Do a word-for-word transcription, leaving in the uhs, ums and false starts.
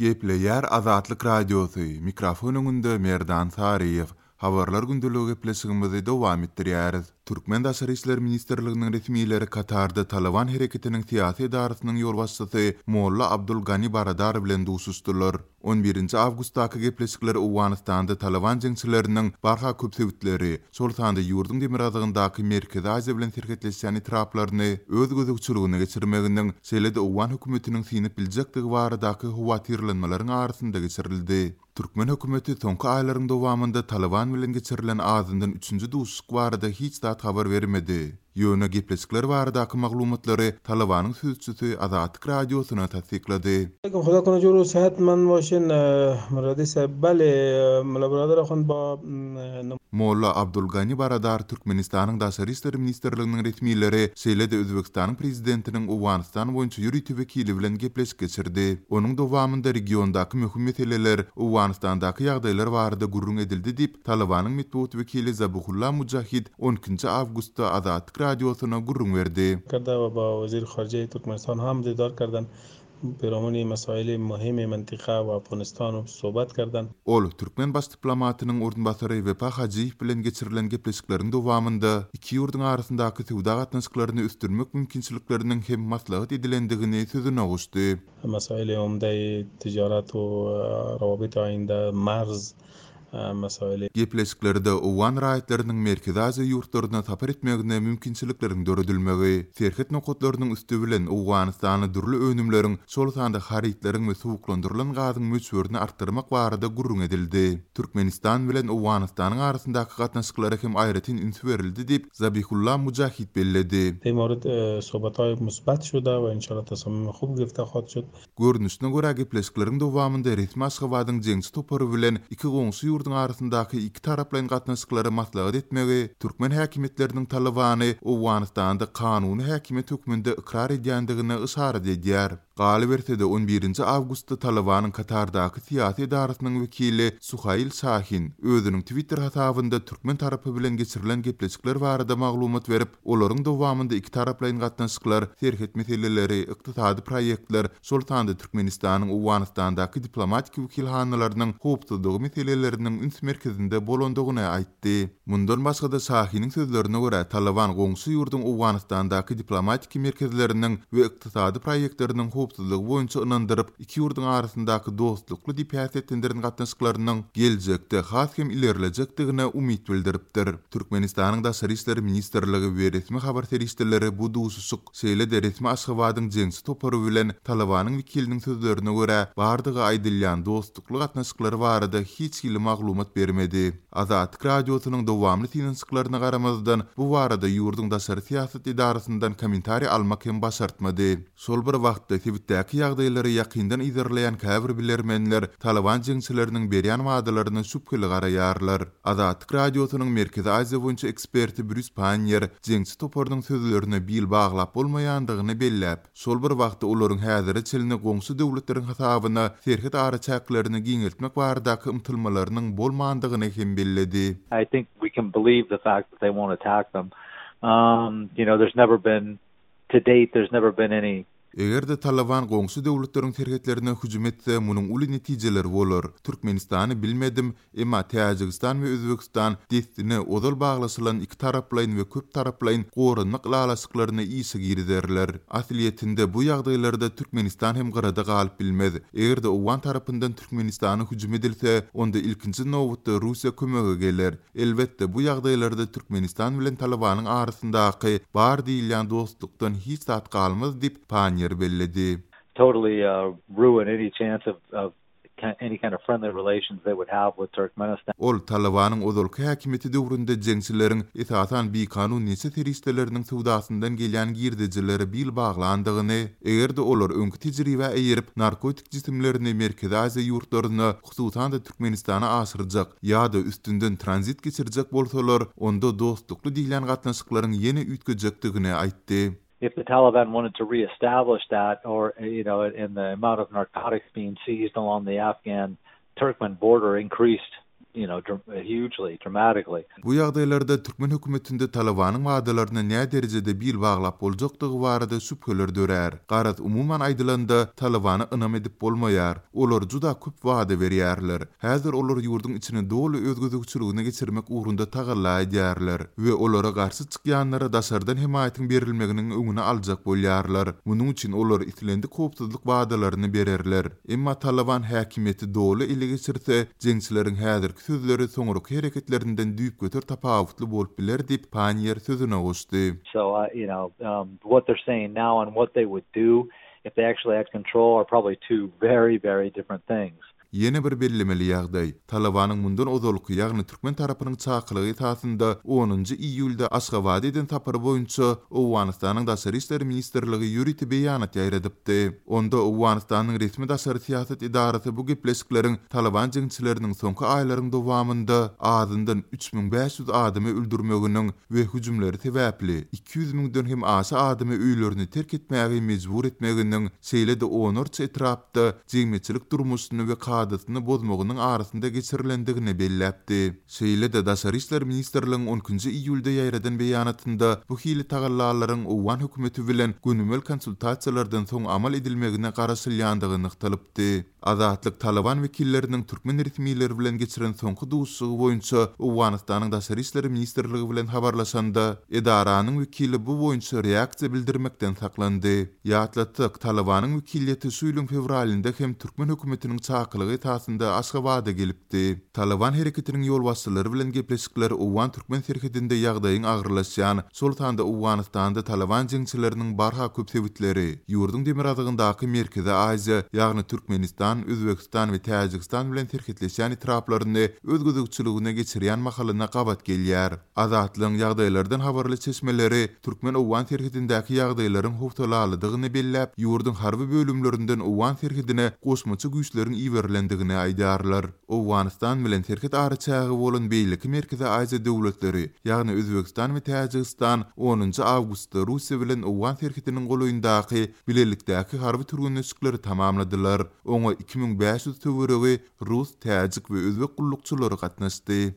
Gepleýär Azatlyk Radiosy, mikrofon öňünde Merdan Saryýew. Habarlar gündeligi gepleşigimizi dowam etdirýäris. Türkmen Daşary işler ministrliginiň resmileri Katarda Talyban hereketiniň syýasy edarasynyň ýolbaşçysy Molla Abdul Gani Baradar bilen duşuşdylar. On birinji awgustdaky gepleşikler Owganystanda Talyban jeňçileriniň barha köp sebitleri, şol sanda ýurduň demirgazygyndaky Merkezi Aziýa bilen serhetleşýän etraplaryny öz gözegçiligine geçirmeginiň, şeýle-de owgan hökümetiniň synyp biljekdigi baradaky howatyrlanmalaryň arasynda geçirildi. Türkmen hökümeti soňky aýlaryň dowamynda Talyban bilen geçirilen azyndan üçünji duşuşyk barada hiç zat habar bermedi. Ýöne gepleşikler baradaky maglumatlary Talybanyň sözçüsi Azatlyk Radiosyna tassyklady. Xudo کنه جور صحتمند باشین مرادی صاحب بله ملا برادر اخوند با Molla Abdul Gani Baradar Türkmenistanyň Daşary işler ministrliginiň resmileri, şeýle-de Özbegistanyň prezidentiniň Owganystan boýunça ýörite wekili bilen gepleşik geçirdi. Onuň dowamynda regiondaky möhüm meseleler, Owganystandaky ýagdaýlar barada gürrüň edildi diýip, Talybanyň metbugat wekili Zabihulla Mujahid on ikinji awgustda Azatlyk Radiosyna gürrüň berdi. کرده و با وزیر خارجه ترکمنستان هم دیدار کردن پیرامون مسائل مهم منطقه و افغانستان صحبت کردن. Ol türkmen baş diplomatynyň orunbasary Wepa Hajyýew bilen geçirilen gepleşikleriň dowamynda iki ýurduň arasyndaky söwda gatnaşyklaryny ösdürmek mümkinçilikleriniň hem maslahat edilendigini sözüne goşdy. مسائل عمده ticaret و روابط آینده marz مسائل Gepleşiklerde owgan raýatlarynyň Merkezi Aziýa ýurtlaryna sapar etmegine mümkinçilikleriň döredilmegi, serhet nokatlarynyň üsti bilen Owganystana dürli önümleriň, şol sanda harytlaryň we suwuklandyrylan gazyň möçberini artdyrmak barada gürrüň edildi. Türkmenistan bilen Owganystanyň arasyndaky gatnaşyklara hem aýratyn üns berildi diýip Zabihulla Mujahid belledi. در مورد صحبت‌های مثبت شده و انشالله تصمیم خوب گرفته خواهد شد. Görnüşine görä gepleşikleriň dowamynda resmi Aşgabadyň jeňçi topary bilen iki goňşy ýurduň arasyndaky iki taraplaýyn gatnaşyklary maslahat etmegi, türkmen häkimiýetleriniň Talybany Owganystanda kanuny häkimiýet hökmünde ykrar edýändigine yşarat edýär. Galyberse-de on birinji awgustda Talybanyň Katardaky syýasy edarasynyň wekili Suhail Şahin özüniň Twitter hasabynda türkmen tarapy bilen geçirilen gepleşikler barada maglumat berip, olaryň dowamynda iki taraplaýyn gatnaşyklar, serhet meseleleri, ykdysady proýektler, şol sanda Türkmenistanyň Owganystandaky diplomatik wekilhanalarynyň howpsuzlygy meseleleriniň üns merkezinde bolandygyny aýtdy. Mundan başga-da Şahiniň sözlerine görä Talyban goňşy ýurduň Owganystandaky diplomatik merkezleriniň we ykdysady proýektleriniň howpsuzlygy boýunça ynandyryp, iki ýurduň arasyndaky dostlukly diýip häsiýetlendiren gatnaşyklarynyň geljekde has hem ilerlejekdigine umyt bildiripdir. Türkmenistanyň Daşary işler ministrligi we resmi habar serişdeleri bu duşuşyk, şeýle-de resmi Aşgabadyň jeňçi topary bilen Talybanyň wekiliniň sözlerine görä bardygy aýdylýan dostlukly gatnaşyklary barada hiç hili maglumat bermedi. Azatlyk Radiosynyň dowamly synanyşyklaryna garamazdan bu barada ýurduň daşary syýasat edarasyndan kommentariý almak hem başartmady. Şol bir wagtda sebitdäki ýagdaýlary ýakyndan yzarlaýan käbir bilermenler Talyban jeňçileriniň berýän wadalaryna şübheli garaýarlar. Azatlyk Radiosynyň Merkezi Aziýa boýunça eksperti Brýus Pannier jeňçi toparynyň sözlerine bil baglap bolmaýandygyny belläp, şol bir wagtda olaryň häzire çenli goňşy döwletleriň hasabyna serhet araçäklerini giňeltmek baradaky ymtylmalarynyň bolmandygyny hem belledi. I think we can believe the fact that they won't attack them. Um, you know, there's never been, to date, there's never been any Eger-de Talyban goňşy döwletleriň serhetlerine hüjüm etse, munuň uly netijeleri bolar. Türkmenistany bilmedim, emma Täjigistan we Özbegistan dessine ozal baglaşylan iki taraplaýyn we köp taraplaýyn goranmak ylalaşyklaryny işe girizerler. Aslyýetinde bu ýagdaýlarda Türkmenistan hem gyrada galyp bilmez. Eger-de Owgan tarapyndan Türkmenistana hüjüm edilse, onda ilkinji nobatda Russiýa kömege geler. Elbetde bu ýagdaýlarda Türkmenistan bilen Talybanyň arasyndaky bar diýilýän dostlukdan hiç zat galmaz diýip Pannier belledi. Totally, uh, ruin any chance of, of any kind of friendly relations they would have with Turkmenistan. Ol Talybanyň ozalky häkimiýeti döwründe jeňçileriň esasan bikanun neşe serişdeleriniň söwdasyndan gelýän girdejilere bil baglandygyny, eger-de olar öňki tejribe eýerip narkotik jisimlerini Merkezi Aziýa ýurtlaryna, hususan-da Türkmenistana aşyrjak ýa-da üstünden tranzit geçirjek bolsalar, onda dostlukly diýilýän gatnaşyklaryň ýene üýtgejekdigini aýtdy. If the Taliban wanted to reestablish that, or, you know, in the amount of narcotics being seized along the Afghan-Turkmen border increased you know, hugely, dramatically. Bu ýagdaýlarda türkmen hökümetinde Talybanyň wadalaryna nä derejede bil baglap boljakdygy barada şübheler dörär. Garaz, umuman aýdylanda, Talybana ynam edip bolmaýar. Olar juda köp wada berýärler. Häzir olar ýurduň içini doly öz gözegçiligine geçirmek ugrunda tagalla edýärler we olara garşy çykýanlara daşardan hemaýatyň berilmeginiň öňüni aljak bolýarlar. Munuň üçin olar islendik howpsuzlyk wadalaryny bererler. Emma Talyban häkimiýeti doly ele geçirse, jeňçileriň häzirki sözleri soňraky hereketlerinden düýpgöter tapawutly bolup biler diýip Panniýer sözüne goşdy. So, uh, you know, um, what they're saying now and what they would do if they actually had control are probably two very, very different things. Ýene bir bellemeli ýagdaý, Talybanyň mundan ozalky, ýagny türkmen tarapynyň çakylygy esasynda onunjy iýulda Aşgabada eden sapary boýunça Owganystanyň Daşary işler ministrligi ýörite beýanat ýaýradypdy. Onda Owganystanyň resmi daşary syýasat edarasy bu gepleşikleriň Talyban jeňçileriniň soňky aýlaryň dowamynda azyndan üç müň bäş ýüz adamy öldürmeginiň we hüjümleri sebäpli iki ýüz müňden hem aşa adamy öýlerini terk etmäge mejbur etmeginiň, şeýle-de onlarça etrapda jemgyýetçilik durmuşyny we kadasyny bozmagynyň arasynda geçirilendigini belläpdi. Şeýle-de Daşary işler ministrligiň on ikinji iýulda ýaýradan beýanatynda bu hili tagallalaryň Owgan hökümeti bilen gönümel konsultasiýalardan soň amal edilmegine garaşylýandygy nygtalypdy. Azatlyk Talyban wekilleriniň türkmen resmileri bilen geçiren soňky duşuşygy boýunça Owganystanyň Daşary işler ministrligi bilen habarlaşanda, edaranyň wekili bu boýunça reaksiýa bildirmekden saklandy. Ýatlatsak, Talybanyň wekiliýeti şu ýylyň fewralynda hem türkmen hökümetiniň çakylygy esasynda Aşgabada gelipdi. Talyban hereketiniň ýolbaşçylary bilen gepleşikler Owgan-türkmen serhedinde ýagdaýyň agyrlaşýan, şol sanda Owganystanda Talyban jeňçileriniň barha köp sebitleri, ýurduň demirgazygyndaky Merkezi Aziýa, ýagny Türkmenistan, Özbegistan we Täjigistan bilen serhetleşýän etraplaryny öz gözegçiligine geçirýän mahalyna gabat gelýär. Azatlygyň ýagdaýlardan habarly çeşmeleri türkmen-owgan serhedindäki ýagdaýlaryň howsalalydygyny belläp, ýurduň harby bölümlerinden owgan serhedine goşmaça güýçleriň iberilendigini aýdýarlar. Owganystan bilen serhet araçägi bolan beýleki Merkezi Aziýa döwletleri, ýagny Özbegistan we Täjigistan onunjy awgustda Russiýa bilen owgan serhediniň golaýyndaky bilelikdäki harby türgenleşikleri tamamladylar. Oňa iki müň bäş ýüz töweregi rus, täjik we özbek gullukçylary gatnaşdy.